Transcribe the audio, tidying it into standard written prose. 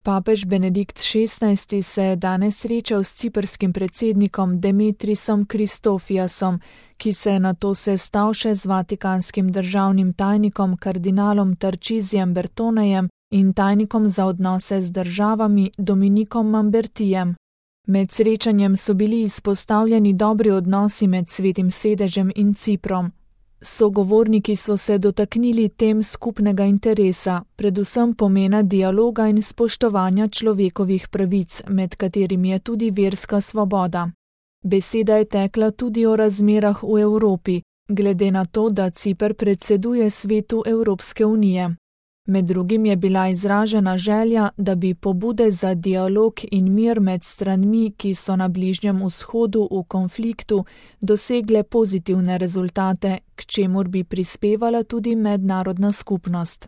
Papež Benedikt XVI se je danes srečal s ciprskim predsednikom Demetrisom Kristofiasom, ki se je nato sestal še z vatikanskim državnim tajnikom kardinalom Tarčizijem Bertonejem in tajnikom za odnose z državami Dominikom Mambertijem. Med srečanjem so bili izpostavljeni dobri odnosi med Svetim sedežem in Ciprom. Sogovorniki so se dotaknili tem skupnega interesa, predvsem pomena dialoga in spoštovanja človekovih pravic, med katerimi je tudi verska svoboda. Beseda je tekla tudi o razmerah v Evropi, glede na to, da Ciper predseduje Svetu Evropske unije. Med drugim je bila izražena želja, da bi pobude za dialog in mir med stranmi, ki so na Bližnjem vzhodu v konfliktu, dosegle pozitivne rezultate, k čemur bi prispevala tudi mednarodna skupnost.